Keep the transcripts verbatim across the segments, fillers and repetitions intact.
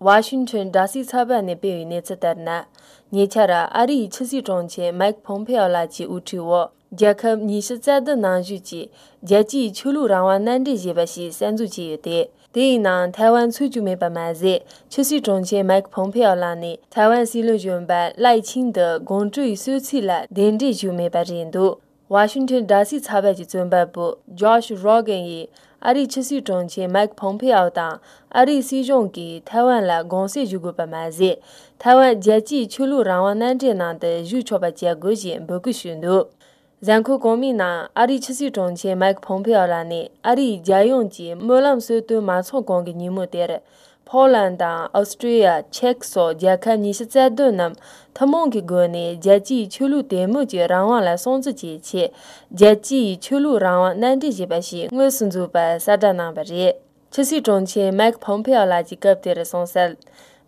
ཝ་ཤིང་ཊོན་དྲ་སའི་ཚགས་པར་ནས་སྤེལ་བའི་གནས་ཚུལ་ལྟར་ན། ཉེ་ཆར་ཨ་རིའི་ཕྱི་སྲིད་དྲུང་ཆེ་མའིག་ཕོམ་ཕེ་ཨོ་ལགས་ཀྱི་དབུ་ཁྲིད་འོག་རྒྱལ་ཁབ་ཉི་ཤུ་རྩ་བདུན་ནང་བཞུགས་ཀྱི་རྒྱལ་སྤྱིའི་ཆོས་ལུགས་རང་དབང་མནའ་འབྲེལ་ཞེས་པ་ཞིག་གསར་འཛུགས་བྱས་ཡོད་དེ། དེའི་ནང་ཐའེ་ཝན་ཚུད་རྒྱུ་མེད་པ་མ་ཟད། ཕྱི་སྲིད་དྲུང་ཆེ་མའིག་ཕོམ་ཕེ་ཨོ་ལགས་ནས་ཐའེ་ཝན་སྲིད་བློན་གཞོན་པ་ལའེ་ཆིང་དུ་དགོངས་སྤྲོ་ཡི་གསོལ་ཚིགས་ལ་གདན་འདྲེན་ཞུས་མེད་པ་རེད་འདུག་ཝ་ཤིང་ཊོན་དྲ་སའི་ཚགས་པར་གྱི་རྩོམ་པ་པོ་ཇོ་ཤ་རོ་གན་ཡིས་ཨ་རིའི་ཕྱི་སྲིད་དྲུང་ཆེ་མའིག་ཕོམ་ཕེ་ཨོ་དང་ཨ་རིའི་སྲིད་གཞུང་གིས་ཐའེ་ཝན་ལ་དགོངས་སེལ་ཞུ་དགོས་པ་མ་ཟད། ཐའེ་ཝན་རྒྱལ་སྤྱིའི་ཆོས་ལུགས་རང་དབང་མནའ་འབྲེལ་ནང་དུ་ཞུགས་ཆོག་པ་བྱ་དགོས་ཞེས་འབོད་སྐུལ་ཞུས་འདུག་གཟའ་འཁོར་གོང་མའི་ནང་ཨ་རིའི་ཕྱི་སྲིད་དྲུང་ཆེ་མའིག་ཕོམ་ཕེ་ཨོ་ལགས་ནས་ཨ་རིའི་རྒྱལ་ཡོངས་ཀྱི་སྨོན་ལམ་གསོལ་སྟོན་མ་ཚོགས་གོང་གི་ཉིན་མོ་དེར། ཕོ་ལན་དང་ཨོ་སི་ཀྲི་ཡ། ཅེཀ་སོགས་རྒྱལ་ཁབ་ཉི་ཤུ་རྩ་བདུན་རྣམས་ཐུན་མོང་གི་སྒོ་ནས་རྒྱལ་སྤྱིའི་ཆོས་ལུགས་དད་མོས་ཀྱི་རང་དབང་ལ་སྲུང་བརྩི་བྱེད་ཆེད། རྒྱལ་སྤྱིའི་ཆོས་ལུགས་རང་དབང་མནའ་འབྲེལ་ཞེས་པ་ཞིག་དངོས་སུ་འཛུགས་པར་གསལ་བསྒྲགས་གནང་བ་རེད། ཕྱི་སྲིད་དྲུང་ཆེ་མའིག་ཕོམ་ཕེ་ཨོ་ལགས་ཀྱིས་སྐབས་དེར་གསུངས་གསལ།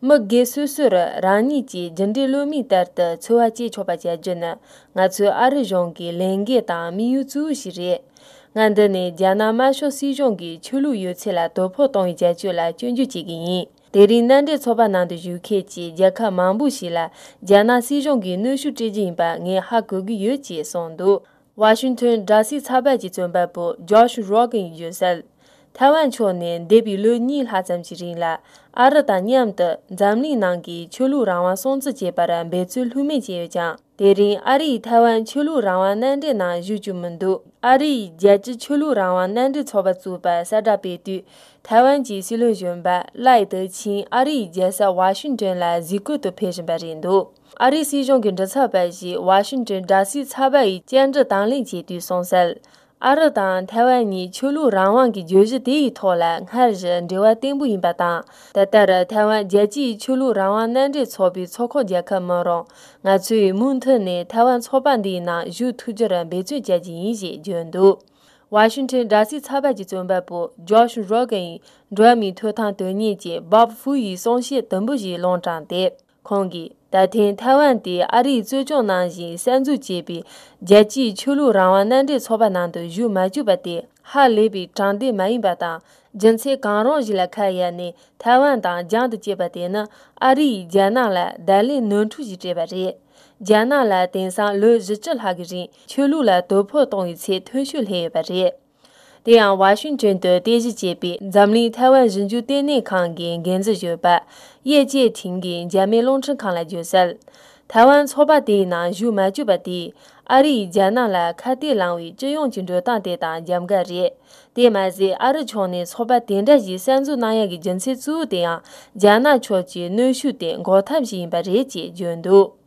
མི་སྒེར་སོ་སོར་རང་ཉིད་ཀྱི་རྒྱུ་འབྲས་བློ་མིག་ལྟར་དུ་འཚོ་བ་སྐྱེལ་ཆོག་པ་བྱ་རྒྱུ་ནི་ང་ཚོའི་ཨ་རི་གཞུང་གི་ལས་འགན་དང་དམིགས་ཡུལ་གཙོ་བོ་ཞིག་རེད། ང་འདི་ནས་རྒྱ་ནག་དམར་ཤོག་སྲིད་གཞུང་གིས་ཆོས་ལུགས་ཡོད་ཚད་ལ་དོ་ཕོག་གཏོང་བའི་བྱ་སྤྱོད་ལ་སྐྱོན་བརྗོད་བྱེད་ཀྱི་ཡིན། དེ་རིང་མནའ་འབྲེལ་ཚོགས་པ་ནང་དུ་བཞུགས་མཁན་གྱི་རྒྱལ་ཁབ་མང་པོ་ཞིག་ལ་རྒྱ་ནག་སྲིད་གཞུང་གིས་གནོན་ཤུགས་སྤྲད་རྒྱུ་ཡིན་པ་ངས་ཧ་གོ་གི་ཡོད་ཅེས་གསུངས་འདུག་ཝ་ཤིང་ཊོན་དྲ་སའི་ཚགས་པར་གྱི་རྩོམ་པ་པོ་ཇོ་ཤ་རོ་གན་ཡིས་བརྗོད་གསལ། ཐའེ་ཝན་ཕྱོགས་ནས་འདས་པའི་ལོ་གཉིས་ལྷག་ཙམ་གྱི་རིང་ལ་ཨ་རི་དང་མཉམ་དུ་འཛམ་གླིང་ནང་གི་ཆོས་ལུགས་རང་དབང་སྲུང་བརྩི་བྱེད་པར་འབད་བརྩོན་ལྷོད་མེད་བྱས་ཡོད་ཀྱང་། དེ་རིང་ཨ་རི་ཡིས་ཐའེ་ཝན་ཆོས་ལུགས་རང་དབང་མནའ་འབྲེལ་ནང་ཞུགས་རྒྱུ་མི་འདུག་ཨ་རི་ཡིས་རྒྱལ་སྤྱིའི་ཆོས་ལུགས་རང་དབང་མནའ་འབྲེལ་ཚོགས་པ་བཙུགས་པར་གསལ་བསྒྲགས་སྤེལ་དུས། ཐའེ་ཝན་གྱི་སྲིད་བློན་གཞོན་པ་ལའེ་ཏེ་ཆིང་ཨ་རི་ཡི་རྒྱལ་ས་ཝ་ཤིང་ཏོན་ལ་གཟིགས་སྐོར་དུ་ཕེབས་བཞིན་པ་རེད་འདུག་ཨ་རིའི་སྲིད་གཞུང་གི་མགྲིན་ཚབ་པ་ཞིག་ཝ་ཤིང་ཏོན་དྲ་སའི་ཚགས་པར་ཡི་བཅར་འདྲི་དང་ལེན་བྱས་དུས་གསུངས་གསལ། ཨ་རི་དང་ཐའེ་ཝན་གཉིས་ཆོས་ལུགས་རང་དབང་གི་བརྗོད་གཞི་དེ་ཡི་ཐོག་ལ་སྔར་བཞིན་འབྲེལ་བ་བརྟན་པོ་ཡིན་པ་དང་། ད་ལྟར་ཐའེ་ཝན་རྒྱལ་སྤྱིའི་ཆོས་ལུགས་རང་དབང་མནའ་འབྲེལ་ཚོགས་པའི་ཚོགས་ཁག་རྒྱལ་ཁབ་མིན་རུང་། ང་ཚོས་མུ་མཐུད་ནས་ཐའེ་ཝན་ཚོགས་པ་འདིའི་ནང་ཞུགས་ཐུབ་རྒྱུར་འབད་བརྩོན་བྱ་རྒྱུ་ཡིན་ཞེས་བརྗོད་འདུག་ཝ་ཤིང་ཏོན་དྲ་སའི་ཚགས་པར་གྱི་རྩོམ་པ་པོ་ཇོ་ཤ་རོ་གན་ཡིས་འགྲོ་བ་མིའི་ཐོབ་ཐང་དོན་གཉེར་ཅན་བོབ་ཧྥུའུ་ཡི་གསུང་བཤད་དུམ་བུ་ཞིག་ལུང་དྲངས་ཏེ། ཁོང་གིས་ད་ཐེངས་ཐའེ་ཝན་དེ་ཨ་རིའི་རྩོད་སྐྱོང་ནང་བཞིན་གསར་འཛུགས་བྱས་པའི་རྒྱལ་སྤྱིའི་ཆོས་ལུགས་རང་དབང་མནའ་འབྲེལ་ཚོགས་པ་ནང་དུ་ཞུགས་མ་བཅུག་པ་དེ་ཧ་ལས་པའི་དྲང་བདེན་མ་ཡིན་པ་དང་། རྒྱུ་མཚན་གང་རུང་ཞིག་ལ་ཁ་གཡར་ནས་ཐའེ་ཝན་དང་རྒྱང་དུ་བཀྱེད་པ་དེ་ནི་ཨ་རི་ཡིས་རྒྱ་ནག་ལ་བརྡ་ལན་ནོར་འཁྲུལ་ཞིག་སྤྲད་པ་རེད། རྒྱ་ནག་ལ་དེང་སང་ལོ་བཞི་བཅུ་ལྷག་གི་རིང་ཆོས་ལུགས་ལ་དོ་ཕོག་གཏོང་བའི་ཚད་མཐོ་ཤོས་སླེབས་ཡོད་པ་རེད། དེ་ཡང་ཝ་ཤིང་ཏོན་དུ་རྟེན་གཞི་བྱས་པའི་འཛམ་གླིང་ཐའེ་ཝན་ཞིབ་འཇུག་ལྟེ་གནས་ཁང་གི་འགན་འཛིན་གཞོན་པ་ཡེ་ཅེ་ཐིང་གིས་འཇར་མན་རླུང་འཕྲིན་ཁང་ལ་བརྗོད་གསལ། ཐའེ་ཝན་ཚོགས་པ་དེའི་ནང་ཞུགས་མ་བཅུག་པ་དེས་ཨ་རི་ཡིས་རྒྱ་ནག་ལ་ཁ་གཏད་ལངས་པའི་སྤྱི་ཡོངས་ཀྱི་འགྲོ་སྟངས་དེ་དང་འཇམ་འགལ་རེད། དེ་མ་ཟད་ཨ་རི་ཕྱོགས་ནས་ཚོགས་པ་དེ་འདྲ་ཞིག་གསར་འཛུགས་གནང་ཡག་གི་རྒྱུ་མཚན་གཙོ་བོ་དེ་ཡང་རྒྱ་ནག་ཕྱོགས་ཀྱི་གནོན་ཤུགས་དེ་འགོག་ཐབས་ཤིག་ཡིན་པ་རེད་ཅེས་བརྗོད་འདུག